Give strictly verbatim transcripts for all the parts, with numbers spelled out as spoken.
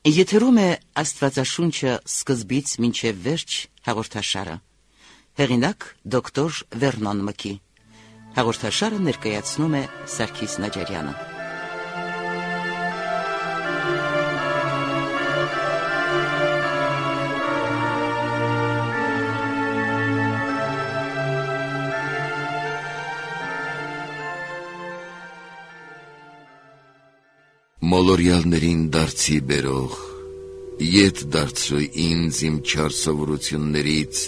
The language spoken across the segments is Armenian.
Եթերում է Աստվածաշունչը սկզբից մինչև վերջ հաղորդաշարը։ Հեղինակ դոկտոր Վերնոն Մկի։ Հաղորդաշարը ներկայացնում է Սարգիս Նաջարյանը։ Մոլորյալներին դարձի բերող, ետ դարձրու ինձ իմ չար սովորություններից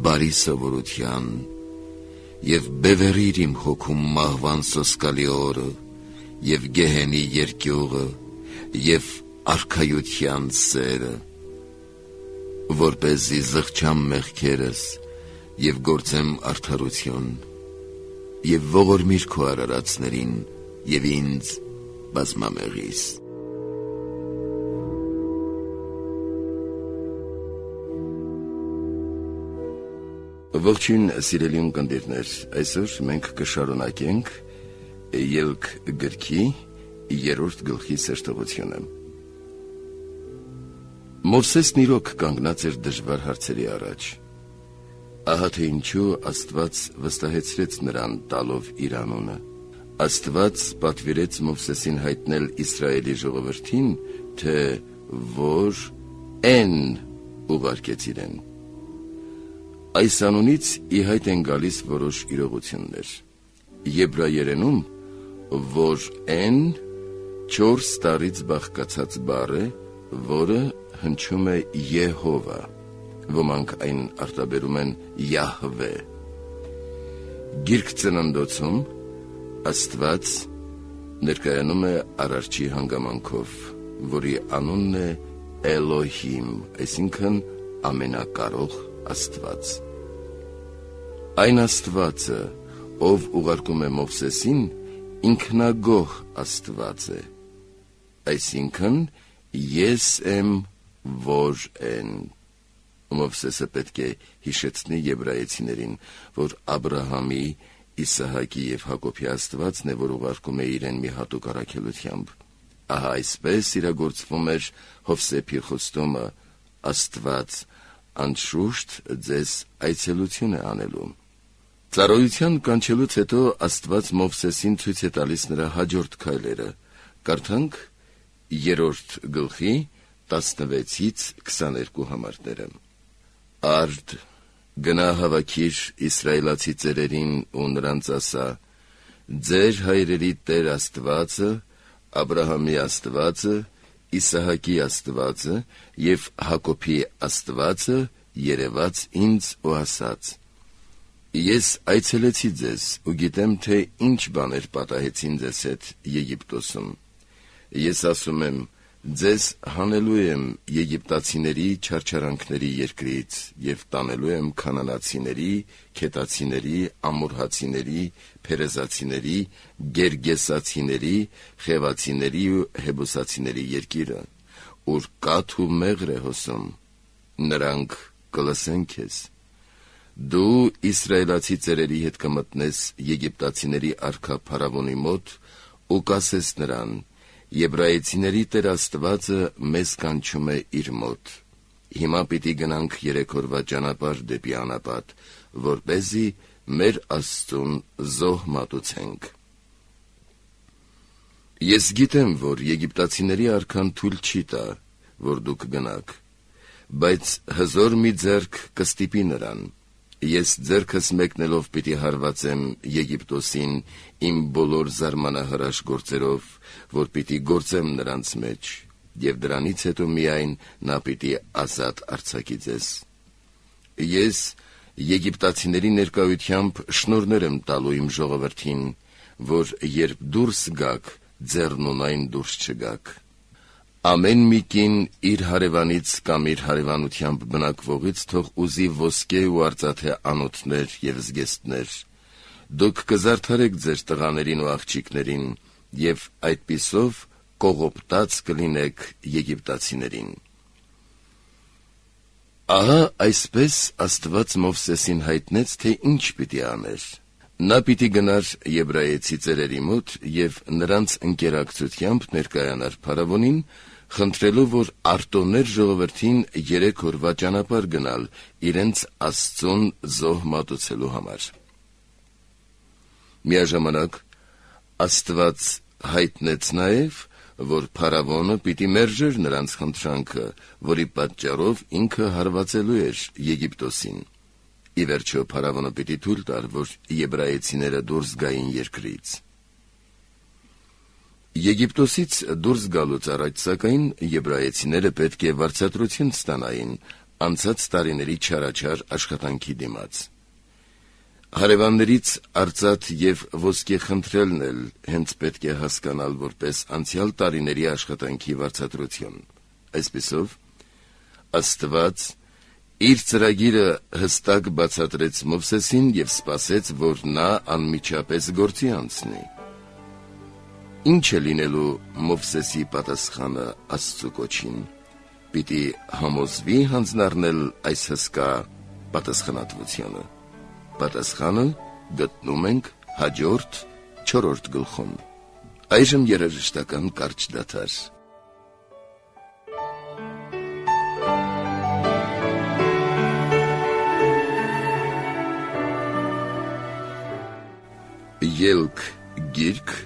բարի սովորության, և բևեռիր իմ հոգում մահվան սոսկալի օրը, և գեհենի երկյուղը, և արքայության սերը, որպեսզի զղջամ մեղքերս, և գործեմ արդարություն, և ողորմիր քո արարածներին, և ինձ բազմամեղիս։ Ողջույն սիրելի ունկնդիրներ, այսօր մենք կշարունակենք Ելք գրքի երրորդ գլխի սերտողությունը։ Մովսեսն իրոք կանգնած էր դժվար հարցերի առաջ։ Ահա թե ինչու Աստված վստահեցրեց նրան տալով իր անունը։ Աստված պատվիրեց Մովսեսին հայտնել Իսրայելի ժողովրդին, թե որ Էն ուղարկեց իրեն։ Այս անունից ի հայտ են գալիս որոշ իրողություններ։ Եբրայերենում, որ Էն չորս տարից բաղկացած բառ է, որը հնչում է Եհովա, ոմանք այն արտաբերում են Յահվե։ Գիրք ծննդոցում Աստված ներկայանում է Արարչի հանգամանքով, որի անունն է Էլոհիմ, այսինքն ամենակարող Աստված։ Այն Աստվածը, ով ուղարկում է Մովսեսին, ինքնագոհ Աստված է, այսինքն ես եմ, որ են։ Մովսեսը պետք է հիշեցնի եբրայեցիներին, որ Աբրահամի, Իսահակի և Հակոբի Աստվածն է, որ ուղարկում է իրեն մի հատուկ առաքելությամբ։ Ահա այսպես իրագործվում էր Հովսեփի խոստումը. Աստված անշուշտ ձեզ այցելություն է անելու։ Ծառայության կանչելուց հետո Աստված Մովսեսին ցույց է տալիս նրա հաջորդ քայլերը։ Կարդանք երրորդ գլխի տասնվեցից քսաներկու համարները։ Արդ գնա հավաքիր իսրայելացի ծերերին ու նրանց ասա. ձեր հայրերի Տեր Աստվածը, Աբրահամի Աստվածը, Իսահակի Աստվածը և Հակոբի Աստվածը երևաց ինձ ու ասաց. ես այցելեցի ձեզ ու գիտեմ, թե ինչ բաներ պատահեցին ձեզ հետ Եգիպտոսում։ Ես ասում եմ, ձեզ հանելու եմ եգիպտացիների չարչարանքների երկրից և տանելու եմ քանանացիների, քետացիների, ամորհացիների, փերեզացիների, գերգեսացիների, խևացիների ու հեբուսացիների երկիրը, ուր կաթ ու մեղր է հոսում, նրանք կլսեն քեզ։ Դու իսրայելացի ծերերի հետ կմտնես եգիպտացիների արքա Փարավոնի մոտ ու կասես նրան. Եբրայեցիների Տեր Աստվածը մեզ կանչում է իր մոտ։ Հիմա պիտի գնանք երեք օրվա ճանապարհ դեպի անապատ, որպեսզի մեր Աստծուն զոհ մատուցենք։ Ես գիտեմ, որ եգիպտացիների արքան թույլ չի տա, որ դուք գնաք, բայց հզոր մի ձեռք կստիպի նրան։ Ես ձեռքս մեկնելով պիտի հարվածեմ Եգիպտոսին իմ բոլոր զարմանահրաշ գործերով, որ պիտի գործեմ նրանց մեջ, և դրանից հետո միայն նա պիտի ազատ արձակի ձեզ։ Ես եգիպտացիների ներկայությամբ շնորհներ եմ տալու իմ ժողովրդին, որ երբ դուրս գաք, ձեռնունայն դուրս չգաք։ Ամեն մի կին իր հարևանից կամ իր հարևանությամբ բնակվողից թող ուզի ոսկե ու արծաթե անոթներ և զգեստներ։ Դուք կզարդարեք ձեր տղաներին ու աղջիկներին, և այդպիսով կողոպտած կլինեք եգիպտացիներին։ Ահա այսպես Աստված Մովսեսին հայտնեց, թե ինչ պիտի աներ։ Նա պիտի գնար եբրայեցի ծերերի մոտ և նրանց ընկերակցությամբ ներկայանար Փարավոնին, խնդրելով, որ արտոներ ժողովրդին երեք օրվա ճանապարհ գնալ իրենց Աստծուն զոհ մատուցելու համար։ Միաժամանակ Աստված հայտնեց նաև, որ փարավոնը պիտի մերժեր նրանց խնդրանքը, որի պատճառով ինքը հարվածելու էր Եգիպտոսին։ Ի վերջո փարավոնը պիտի թույլ տար, որ եբրայեցիները դուրս գային երկրից։ Եգիպտոսից դուրս գալուց առաջ, սակայն, եբրայեցիները պետք է վարձատրություն ստանային անցած տարիների չարաչար աշխատանքի դիմաց։ Հարևաններից արծաթ և ոսկե խնդրելն էլ հենց պետք է հասկանալ որպես անցյալ տարիների աշխատանքի վարձատրություն։ Այսպիսով, Աստված իր ծրագիրը հստակ բացատրեց Մովսեսին և սպասեց, որ նա անմիջապես գործի անցնի։ Ինչ է լինելու Մովսեսի պատասխանը Աստծու կոչին։ Պիտի համոզվի հանձնառնել այս հսկա պատասխանատվությունը։ Պատասխանը գտնում ենք հաջորդ չորրորդ գլխում։ Այժմ երաժշտական կարճ դադար։ Ելք գիրք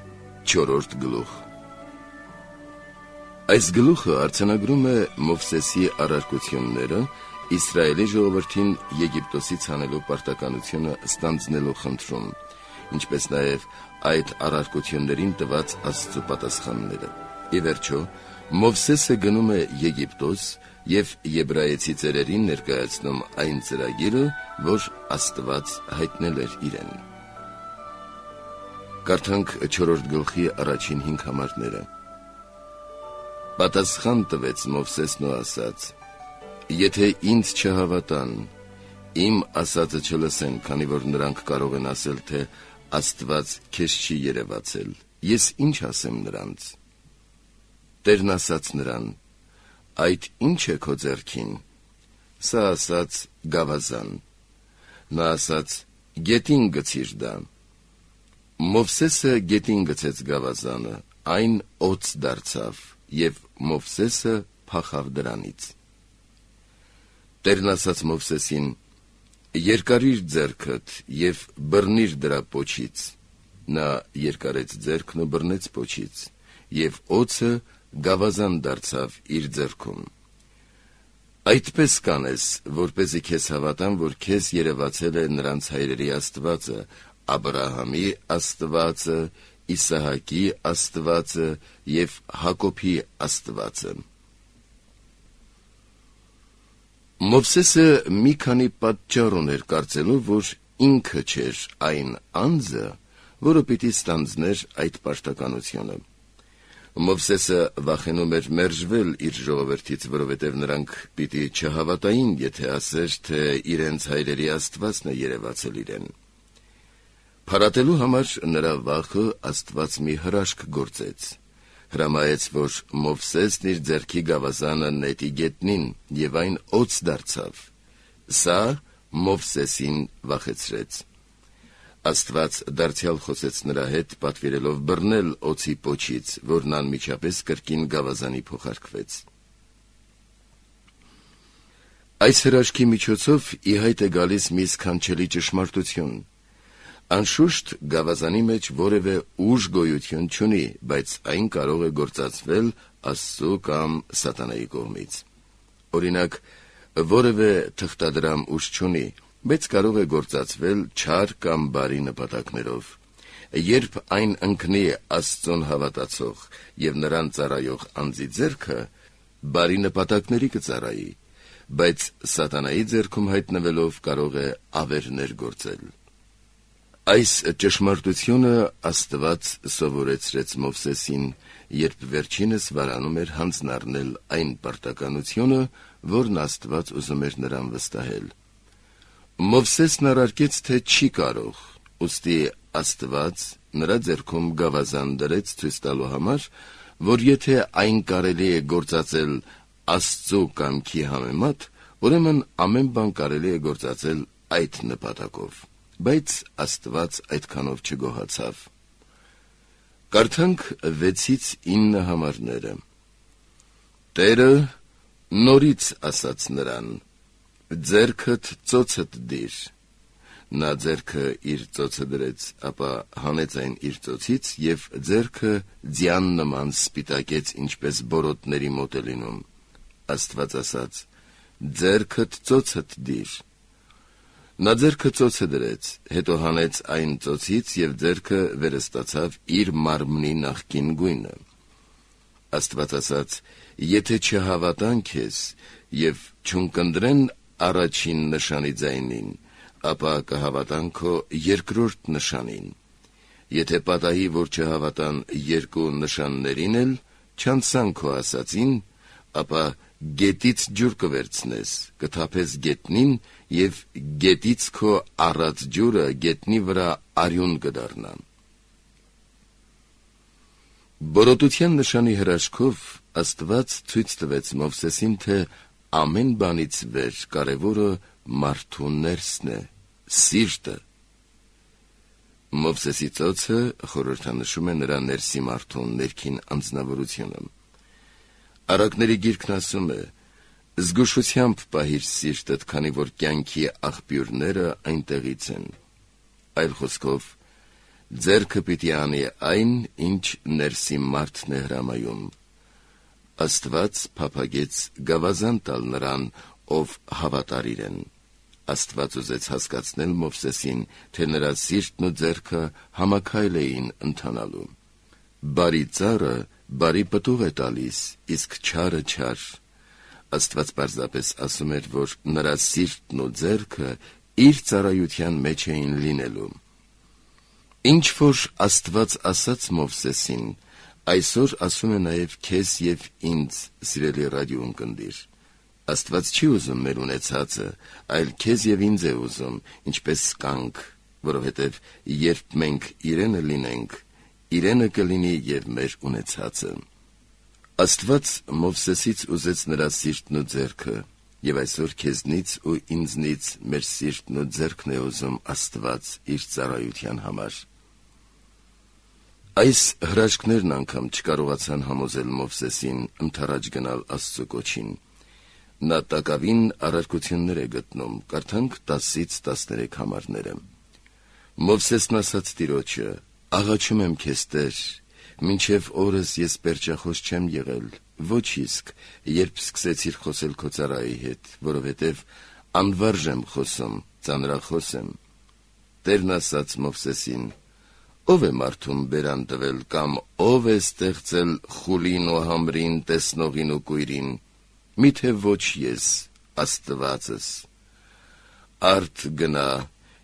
չորրորդ գլուխ։ Այս գլուխը արձանագրում է Մովսեսի առարկությունները Իսրայելի ժողովրդին Եգիպտոսից հանելու պարտականությունը ստանձնելու խնդրում, ինչպես նաև այդ առարկություններին տված Աստծու պատասխանները։ Ի վերջո, Մովսեսը գնում է Եգիպտոս և եբրայեցի ծերերին ներկայացնում այն ծրագիրը, որ Աստված հայտնել էր իրեն։ Կարդանք չորրորդ գլխի առաջին հինգ համարները։ Պատասխան տվեց Մովսեսն ու ասաց. Եթե ինձ չհավատան, իմ ասածը չլսեն, քանի որ նրանք կարող են ասել, թե Աստված քեզ չի երևացել, ես ինչ ասեմ նրանց։ Տերն ասաց նրան. այդ ինչ է քո ձեռքին։ Սա ասաց գավազան։ Նա ասաց. գետին գցիր դա։ Մովսեսը գետին գցեց գավազանը, այն օձ դարձավ, և Մովսեսը փախավ դրանից։ Տերն ասաց Մովսեսին. երկարիր ձեռքդ և բռնիր դրա պոչից։ Նա երկարեց ձեռքն ու բռնեց պոչից, և օձը գավազան դարձավ իր ձեռքում։ Այդպես կանես, որպեսզի քեզ հավատան, որ քեզ երևացել է նրանց հայրերի Աստվածը, Աբրահամի Աստվածը, Իսահակի Աստվածը և Հակոբի Աստվածը։ Մովսեսը մի քանի պատճառ ուներ կարծելու, որ ինքը չէր այն անձը, որը պիտի ստանձներ այդ պարտականությունը։ Մովսեսը վախենում էր մերժվել իր ժողովրդից, որովհետև նրանք պիտի չհավատային, եթե ասեր, թե իրենց հայրերի Աստվածն է երևացել իրեն։ Փարատելու համար նրա վախը Աստված մի հրաշք գործեց։ Հրամայեց, որ Մովսեսն իր ձեռքի գավազանը նետի գետնին, և այն օձ դարձավ։ Սա Մովսեսին վախեցրեց։ Աստված դարձյալ խոսեց նրա հետ, պատվիրելով բռնել օձի պոչից, որն անմիջապես կրկին գավազանի փոխարկվեց։ Այս հրաշքի միջոցով ի հայտ է գալիս մի սքանչելի ճշմարտություն։ Անշուշտ գավազանի մեջ որևէ ուժ գոյություն չունի, բայց այն կարող է գործածվել Աստծու կամ սատանայի կողմից։ Օրինակ, որևէ թղթադրամ ուժ չունի, բայց կարող է գործածվել չար կամ բարի նպատակներով։ Երբ այն ընկնի Աստծուն հավատացող և նրան ծառայող անձի ձեռքը, բարի նպատակների կծառայի, բայց սատանայի ձեռքում հայտնվելով կարող է ավերներ գործել։ Այս ճշմարտությունը Աստված սովորեցրեց Մովսեսին, երբ վերջինս վարանում էր հանձնառնել այն պարտականությունը, որն Աստված ուզում էր նրան վստահել։ Մովսեսն առարկեց, թե չի կարող, ուստի Աստված նրա ձեռքում գավազան դրեց ցույց տալու համար, որ եթե այն կարելի է գործածել Աստծու կամքի համեմատ, ուրեմն ամեն բան կարելի է գործածել այդ նպատակով, բայց Աստված այդքանով չգոհացավ։ Կարդանք վեցից ինը համարները։ Տերը նորից ասաց նրան. ձեռքդ ծոցդ դիր։ Նա ձեռքը իր ծոցը դրեց, ապա հանեց այն իր ծոցից և ձեռքը ձյան նման սպիտակեց, ինչպես բորոտների մոտ է լինում։ Աստված ասաց. ձեռքդ ծոցդ դիր։ Նա ձեռքը ծոցը դրեց, հետո հանեց այն ծոցից և ձեռքը վերստացավ իր մարմնի նախկին գույնը։ Աստված ասաց. եթե չհավատան քեզ և չունկնդրեն առաջին նշանի ձայնին, ապա կհավատան քո երկրորդ նշանին։ Եթե պատահի, որ չհավատան երկու նշաններին էլ, չանցան քո ասածին, ապա գետից ջուր կվերցնես, կթափես գետնին և գետից քո առած ջուրը գետնի վրա արյուն կդառնա։ Բորոտության նշանի հրաշքով Աստված ցույց տվեց Մովսեսին, թե ամեն բանից վեր կարևորը մարդու ներսն է, սիրտը։ Մովսեսի ծոցը խորհրդանշում է նրա ներսի մարդու ներքին անձնավորությունը։ Առակների գիրքն ասում է. զգուշությամբ պահիր սիրտդ, քանի որ կյանքի աղբյուրները այնտեղից են։ Այլ խոսքով, ձեռքը պիտի անի այն, ինչ ներսի մարդն է հրամայում։ Աստված փափագեց գավազան տալ նրան, ով հավատար իրեն։ Աստված ուզեց հասկացնել Մովսեսին, թե նրա սիրտն ու ձեռքը համաքայլ էին ընթանալու։ Բարի ծառը բարի պտուղ է տալիս, իսկ չարը չար։ Աստված պարզապես ասում էր, որ նրա սիրտն ու ձեռքը իր ծառայության մեջ էին լինելու։ Ինչ որ Աստված ասաց Մովսեսին, այսօր ասում է նաև քեզ և ինձ, սիրելի ռադիոընկերներ։ Աստված չի ուզում մեր ունեցածը, այլ քեզ և ինձ է ուզում, ինչպես կանք, որովհետև երբ մենք իրենը լինենք, իրենը կլինի և մեր ունեցածը։ Աստված Մովսեսից ուզեց նրա սիրտն ու ձեռքը, և այսօր քեզնից ու ինձնից մեր սիրտն ու ձեռքն է ուզում Աստված իր ծառայության համար։ Այս հրաշքներն անգամ չկարողացան համոզել Մովսեսին ընդառաջ գնալ Աստծու կոչին։ Նա տակավին առարկություններ է գտնում, կարդանք տասից տասներեք համարները։ Մովսեսն ասաց Տիրոջը. աղաչում եմ քեզ, Տեր, մինչև օրս ես պերճախոս չեմ եղել, ոչ իսկ, երբ սկսեցիր խոսել քո ծառայի հետ, որովհետև անվարժ եմ խոսում, ծանրախոս եմ։ Տերն ասաց Մովսեսին. ով է մարդուն բերան տվել, կամ ով է ստեղծել խուլին ու համրին, տեսնողին ու կույրին, միթե ոչ ես, Աստվածս։ Արդ գնա,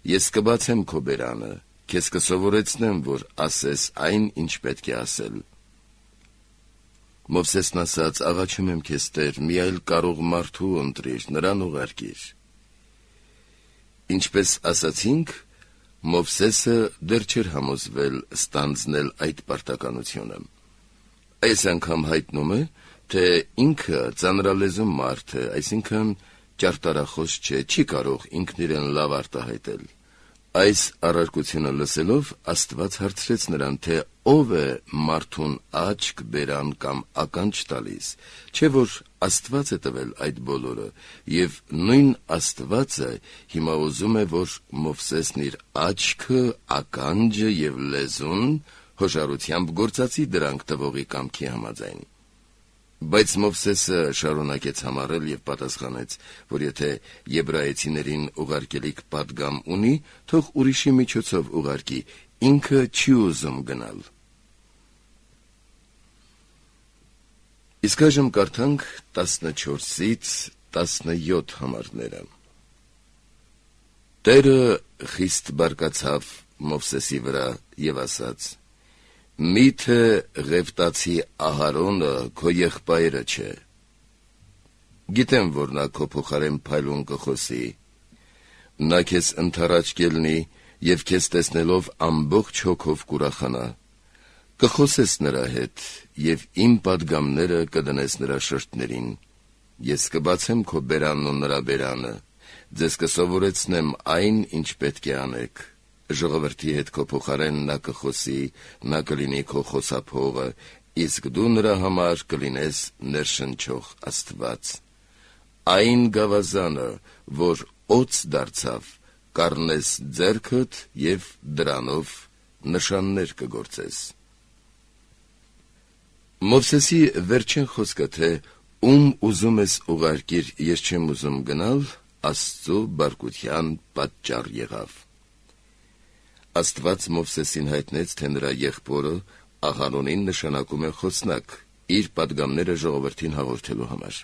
ես կբացեմ քո բերանը, քեզ կսովորեցնեմ, որ ասես այն, ինչ պետք է ասել։ Մովսեսն ասաց. աղաչում եմ քեզ, Տեր, մի այլ կարող մարդու ընտրիր, նրան ուղարկիր։ Ինչպես ասացինք, Մովսեսը դեռ չէր համոզվել ստանձնել այդ պարտականությունը։ Այս անգամ հայտնում է, թե ինքը ծանրալեզու մարդ է, այսինքն ճարտարախոս չէ, չի կարող ինքն իրեն լավ արտահայտել։ Այս առարկությունը լսելով Աստված հարցրեց նրան, թե ով է մարդուն աչք, բերան կամ ականջ տալիս, չէ՞ որ Աստված է տվել այդ բոլորը, և նույն Աստվածը հիմա ուզում է, որ Մովսեսն իր աչքը, ականջը և լեզուն հոժարությամբ գործածի դրանք տվողի կամքի համաձայն։ Բայց Մովսեսը շարունակեց համառել և պատասխանեց, որ եթե եբրայեցիներին ուղարկելիք պատգամ ունի, թող ուրիշի միջոցով ուղարկի, ինքը չի ուզում գնալ։ Իսկ այժմ կարդանք տասնչորսից տասնյոթ համարները։ Տերը խիստ բարկացավ Մովսեսի վրա և ասաց. միթե Ղևտացի Ահարոնը քո եղբայրը չէ։ Գիտեմ, որ նա քո փոխարեն փայլուն կխոսի։ Նա քեզ ընդառաջ կելնի և քեզ տեսնելով ամբողջ հոգով կուրախանա։ Կխոսես նրա հետ և իմ պատգամները կդնես նրա շրթներին։ Ես կբացեմ քո բերանն ու նրա բերանը, ձեզ կսովորեցնեմ այն, ինչ պետք է անեք։ Ժողովրդի հետ քո փոխարեն նա կխոսի, նա կլինի քո խոսափողը, իսկ դու նրա համար կլինես ներշնչող Աստված։ Այն գավազանը, որ օձ դարձավ, կառնես ձեռքդ և դրանով նշաններ կգործես։ Մովսեսի վերջին խոսքը, թե ում ուզում ես ուղարկիր, ես չեմ ուզում գնալ, Աստծու բարկության պատճառ եղավ։ Աստված Մովսեսին հայտնեց, թե նրա եղբորը Աղարոնին նշանակում է խոսնակ, իր պատգամները ժողովրդին հաղորդելու համար։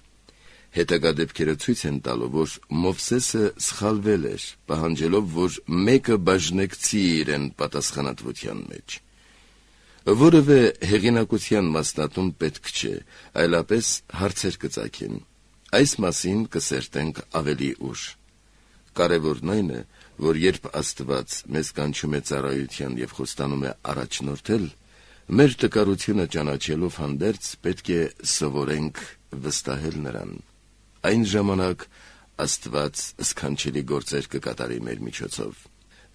Հետագա դեպքերը ցույց են տալու, որ Մովսեսը սխալվել էր, պահանջելով, որ մեկը բաժնեկցի իրեն պատասխանատվության մեջ։ Որևէ հեղինակության մասնատում պետք չէ, այլապես հարցեր կծագեն։ Այս մասին կսերտենք ավելի ուշ։ Կարևորն այն է, որ երբ Աստված մեզ կանչում է ծառայության և խոստանում է առաջնորդել, մեր տկարությունը ճանաչելով հանդերձ պետք է սովորենք վստահել նրան։ Այն ժամանակ Աստված սքանչելի գործեր կկատարի մեր միջոցով։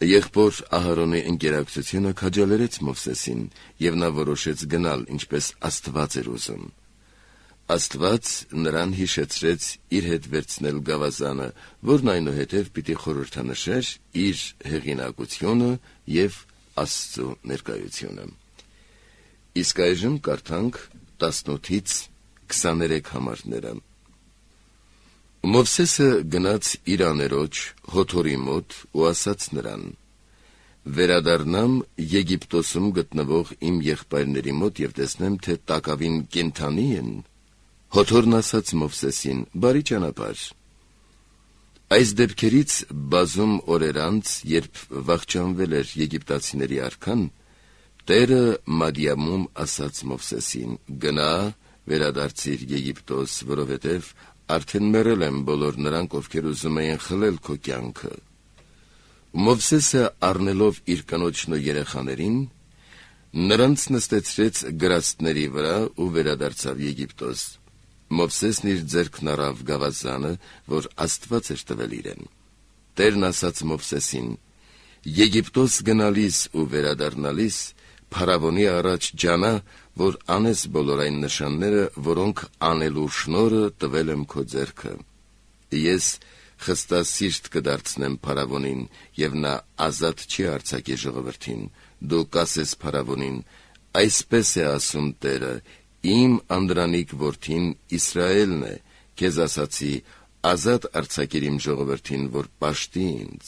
Եղբոր Ահարոնի ընկերակցությունը քաջալերեց Մովսեսին, և նա որոշեց գնալ, ինչպես Աստված էր ուզում։ Աստված նրան հիշեցրեց իր հետ վերցնել գավազանը, որն այնուհետև պիտի խորհրդանշեր իր հեղինակությունը և Աստծու ներկայությունը։ Իսկ այժմ կարդանք տասնութից քսաներեք համարները։ Մովսեսը գնաց իր աներոջ Հոթորի մոտ ու ասաց նրան. «Վերադառնամ Եգիպտոսում գտնվող իմ եղբայրների մոտ և տեսնեմ, թե տակավին կենդանի են»։ Հոթորն ասաց Մովսեսին. «Բարի ճանապարհ»։ Այս դեպքերից բազում օրեր անց, երբ վախճանվել էր եգիպտացիների արքան, Տերը Մադիամում ասաց Մովսեսին. «Գնա, վերադարձիր Եգիպտոս, որովհետև արդեն մեռել են բոլոր նրանք, ովքեր ուզում էին խլել քո կյանքը»։ Մովսեսը առնելով իր կնոջն ու երեխաներին, նրանց նստեցրեց գրաստների վրա ու վերադարձավ Եգիպտոս։ Մովսեսն իր ձեռքն առավ գավազանը, որ Աստված էր տվել իրեն։ Տերն ասաց Մովսեսին. «Եգիպտոս գնալիս ու վերադառնալիս փարավոնի առաջ ջանա, որ անես բոլոր այն նշանները, որոնք անելու շնորհը տվել եմ քո ձեռքը։ Ես խստասիրտ կդարձնեմ փարավոնին, և նա ազատ չի արձակի ժողովրդին։ Դու կասես փարավոնին. այսպես է ասում Տերը, իմ անդրանիկ որդին Իսրայելն է, քեզ ասացի, ազատ արձակիր իմ ժողովրդին, որ պաշտի ինձ։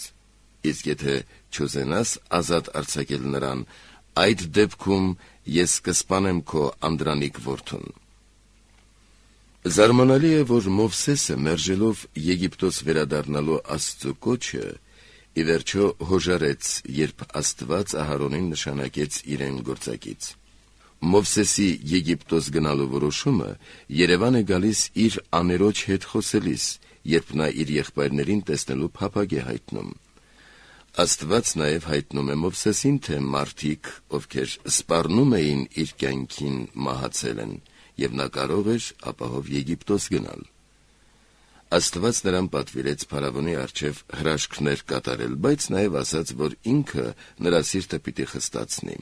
Իսկ եթե չուզենաս ազատ արձակել նրան, այդ դեպքում ես կսպանեմ քո անդրանիկ որդուն»։ Զարմանալի է, որ Մովսեսը, մերժելով Եգիպտոս վերադառնալու Աստծու կոչը, ի վերջո հոժարեց, երբ Աստված Ահարոնին նշանակեց իրեն գործակից։ Մովսեսի Եգիպտոս գնալու որոշումը Երևան է գալիս իր աներոջ հետ խոսելիս, երբ նա իր եղբայրներին տեսնելու փափագ է հայտնում։ Աստված նաև հայտնում է Մովսեսին, թե մարդիկ, ովքեր սպառնում էին իր կյանքին, մահացել են, և նա կարող էր ապահով Եգիպտոս գնալ։ Աստված նրան պատվիրեց փարավոնի առջև հրաշքներ կատարել, բայց նաև ասաց, որ ինքը նրա սիրտը պիտի խստացնի։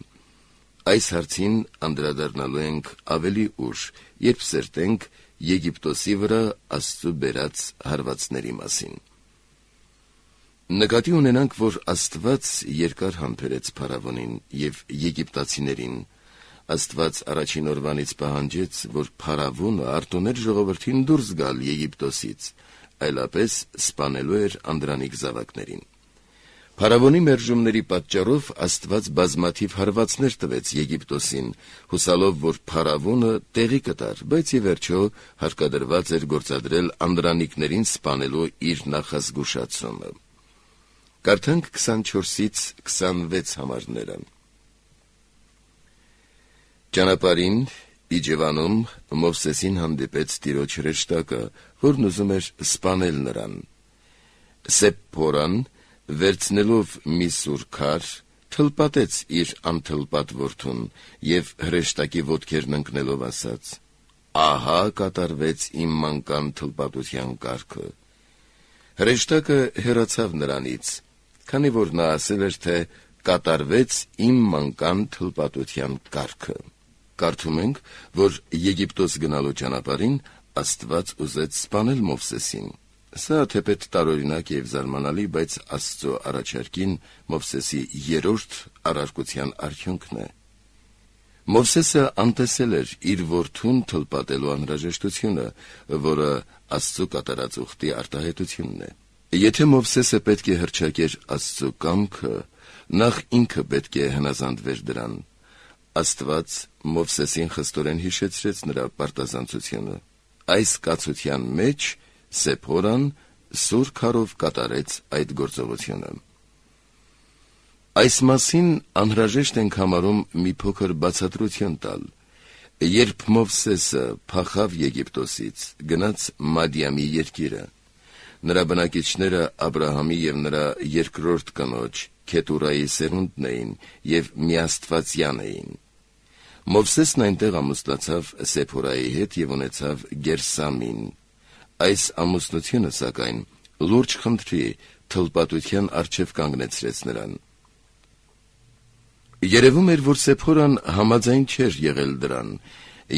Այս հարցին անդրադառնալու ենք ավելի ուշ, երբ սերտենք Եգիպտոսի վրա Աստծու բերած հարվածների մասին։ Նկատի ունենանք, որ Աստված երկար համբերեց փարավոնին և եգիպտացիներին։ Աստված առաջին օրվանից պահանջեց, որ փարավոնը արտոներ ժողովրդին դուրս գալ Եգիպտոսից, այլապես սպանելու էր անդրանիկ զավակներին։ Փարավոնի մերժումների պատճառով Աստված բազմաթիվ հարվածներ տվեց Եգիպտոսին, հուսալով, որ փարավոնը տեղի կտար, բայց ի վերջո հարկադրված էր գործադրել անդրանիկներին սպանելու իր նախազգուշացումը։ Կարդանք քսանչորսից քսանվեց համարները։ Ճանապարհին Իջևանում Մովսեսին հանդիպեց Տիրոջ հրեշտակը, որն ուզում էր սպանել նրան։ Սեպփորան, վերցնելով մի սուր քար, թլպատեց իր անթլպատ որդուն և հրեշտակի ոտքերն ընկնելով ասաց. «Ահա կատարվեց իմ մանկան թլպատության կարգը»։ Հրեշտակը հեռացավ նրանից, քանի որ նա ասել էր, թե կատարվեց իմ մանկան թլպատության կարգը։ Կարդում ենք, որ Եգիպտոս գնալու ճանապարհին Աստված ուզեց սպանել Մովսեսին։ Սա թեպետ տարօրինակ եւ զարմանալի, բայց Աստծո առաջարկին Մովսեսի երրորդ առարկության արդյունքն է։ Մովսեսը անտեսել էր իր որդուն թլպատելու անհրաժեշտությունը, որը Աստծո կատարած ուխտի արտահայտությունն է։ Եթե Մովսեսը պետք է հռչակեր Աստծո կամքը, նախ ինքը պետք է հնազանդվեր դրան։ Աստված Մովսեսին խստորեն հիշեցրեց նրա պարտազանցությունը։ Այս կացության մեջ Սեփորան սուր քարով կատարեց այդ գործողությունը։ Այս մասին անհրաժեշտ ենք համարում մի փոքր բացատրություն տալ։ Երբ Մովսեսը փախավ Եգիպտոսից, գնաց Մադիամի երկիրը, նրա բնակիչները Աբրահամի եւ նրա երկրորդ կնոջ Քետուրայի սերունդն էին եւ միաստվածյան էին։ Մովսեսն այնտեղ ամուսնացավ Սեփորայի հետ եւ ունեցավ Գերսամին։ Այս ամուսնությունը, սակայն, լուրջ խնդրի թլպատության առջև կանգնեցրեց նրան։ Երևում էր, որ Սեփորան համաձայն չէր եղել դրան,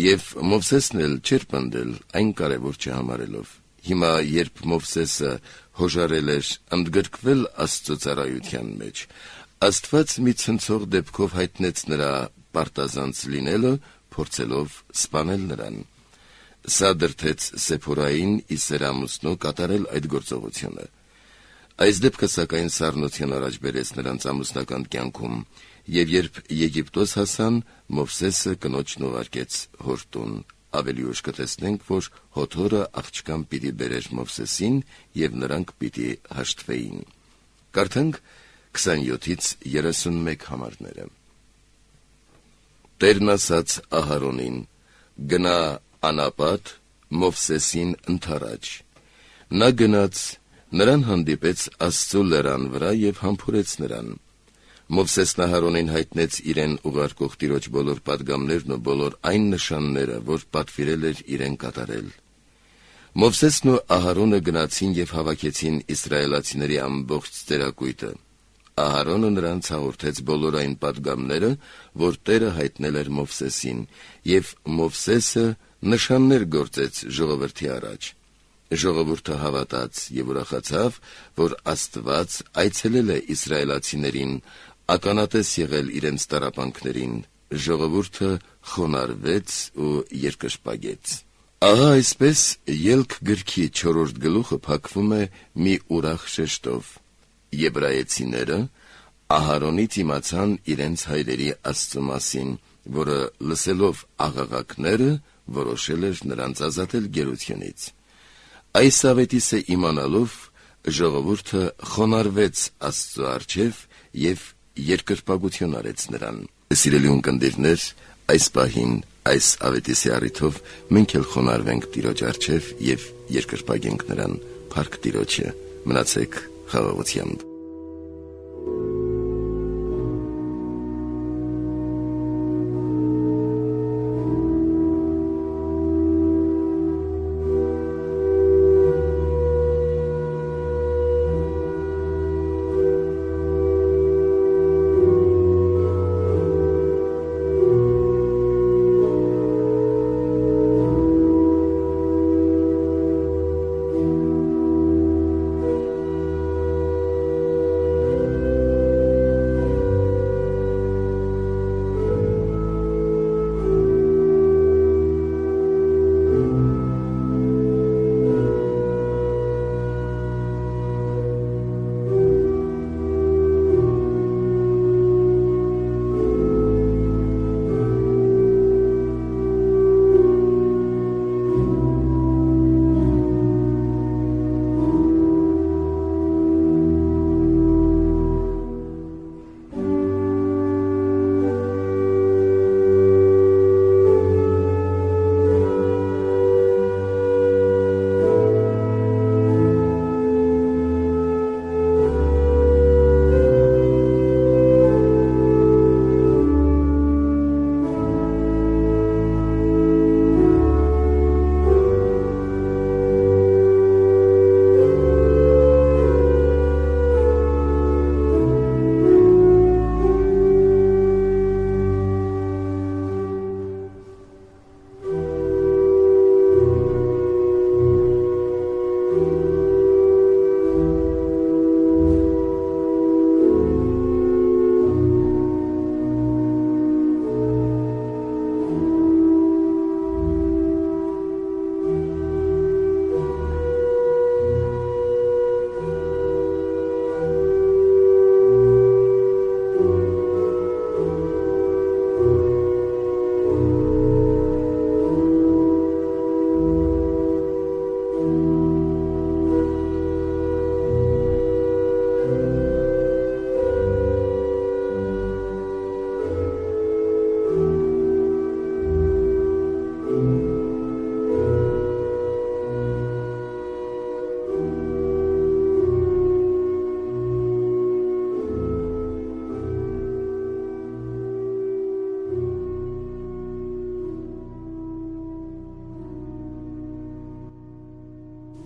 եւ Մովսեսն էլ չէր պնդել, այն կարևոր չհամարելով։ Հիմա, երբ Մովսեսը հոժարել էր ընդգրկվել Աստծո ծառայության մեջ, Աստված մի ցնցող դեպքով հայտնեց նրա պարտազանց լինելը, փորձելով սպանել նրան։ Սա դրդեց Սեփորային ի սեր ամուսնու կատարել այդ գործողությունը։ Այս դեպքը, սակայն, սառնություն առաջ բերեց նրանց ամուսնական կյանքում, եւ երբ Եգիպտոս հասան, Մովսեսը կնոջն ուղարկեց հոր տուն։ Ավելի ուշ կտեսնենք, որ հոթորը աղջկան պիտի բերեր Մովսեսին եւ նրանք պիտի հաշտվեին։ Կարդանք քսանյոթից երեսունմեկ համարները։ Տերն ասաց Ահարոնին. գնա անապատ Մովսեսին ընթառաջ։ Նա գնաց, նրան հանդիպեց Աստծո լեռան վրա եւ համբուրեց նրան։ Մովսեսն Ահարոնին հայտնեց իրեն ուղարկող Տիրոջ բոլոր պատգամներն ու բոլոր այն նշանները, որ պատվիրել էր իրեն կատարել։ Մովսեսն ու Ահարոնը գնացին եւ հավաքեցին իսրայելացիների ամբողջ ծերակույտը։ Ահարոնը նրանց հաղորդեց բոլոր այն պատգամները, որ Տերը հայտնել էր Մովսեսին, եւ Մովսեսը նշաններ գործեց ժողովրդի առաջ։ Ժողովուրդը հավատաց եւ ուրախացավ, որ Աստված այցելել է իսրայելացիներին, ականատես եղել իրենց տառապանքներին։ Ժողովուրդը խոնարհվեց ու երկրպագեց։ Ահա այսպես Ելք գրքի չորրորդ գլուխը փակվում է մի ուրախ շեշտով։ Եբրայեցիները Ահարոնից իմացան իրենց հայրերի Աստծո մասին, որը լսելով աղաղակները որոշել էր նրանց ազատել գերությունից։ Այս ավետիսը իմանալով ժողովուրդը խոնարհվեց Աստծո առջև եւ երկրպագություն արեց նրան։ Սիրելի ունկնդիրներ, այս պահին այս ավետիսի առիթով մենք էլ խոնարհվենք Տիրոջ առջև եւ երկրպագենք նրան։ Փառք Տիրոջը։ Մնացեք խաղաղությամբ։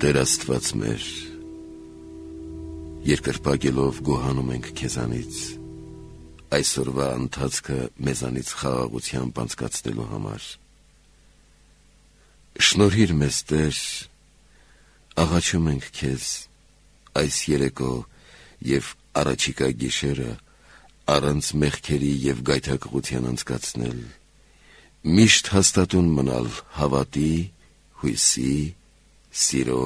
Տեր Աստված մեր, երկրպագելով գոհանում ենք քեզանից, այսօրվա ընթացքը մեզանից խաղաղությամբ անցկացնելու համար։ Շնորհիր մեզ, Տեր, աղաչում ենք քեզ այս երեկո և առաջիկա գիշերը առանց մեղքերի և գայթակղության անցկացնել, միշտ հաստատուն մնալ հավատի, հույսի, սիրո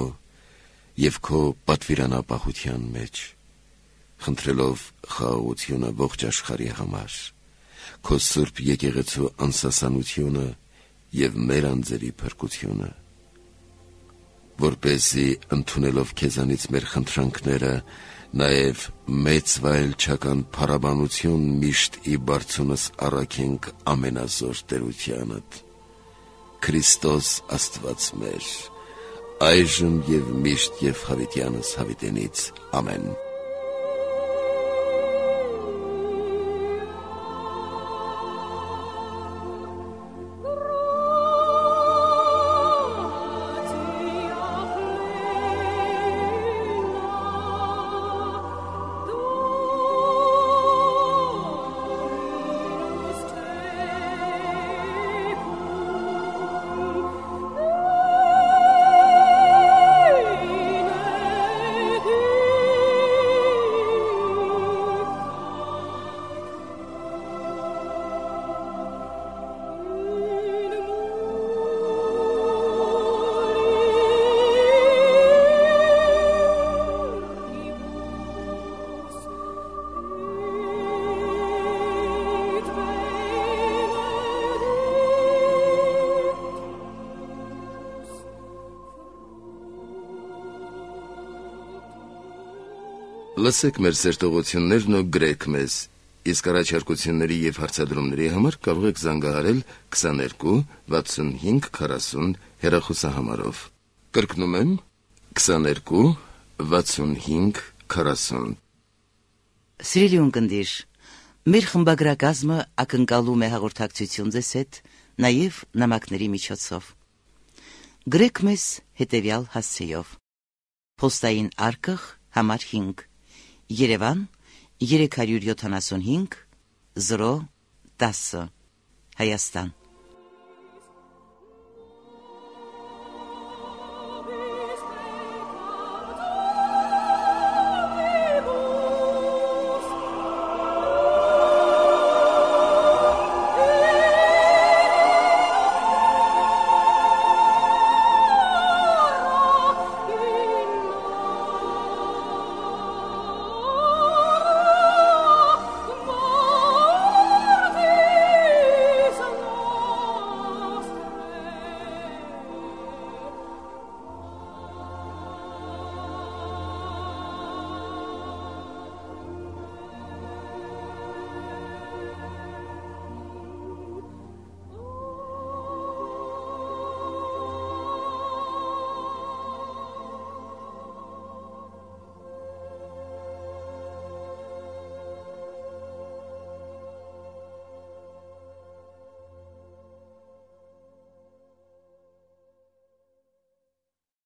և քո պատվիրանապահության մեջ, խնդրելով խաղաղությունը ողջ աշխարհի համար, քո սուրբ եկեղեցու անսասանությունը և մեր անձերի փրկությունը, որպեսզի ընդունելով քեզանից մեր խնդրանքները, նաև մեծ վայելչական փառաբանություն միշտ ի բարձունս առաքենք ամենազոր տերությանդ, Քրիստոս Աստված մեր, այժմ և միշտ և հավիտյանս հավիտենից, ամեն։ Լսեք մեր սերտողություններն ու գրեք մեզ, իսկ առաջարկությունների և հարցադրումների համար կարող եք զանգահարել քսաներկու վաթսունհինգ քառասուն հեռախոսահամարով։ Կրկնում եմ քսաներկու վաթսունհինգ քառասուն։ Սիրելի ունկնդիր, մեր խմբագրակազմը ակնկալում է հաղորդակցություն ձեզ հետ նաև նամակների միջոցով։ Գրեք մեզ հետևյալ հասցեով. Պոստային արկղ համար հինգ, Երևան երեք հարյուր յոթանասունհինգ զրո տասը, Հայաստան։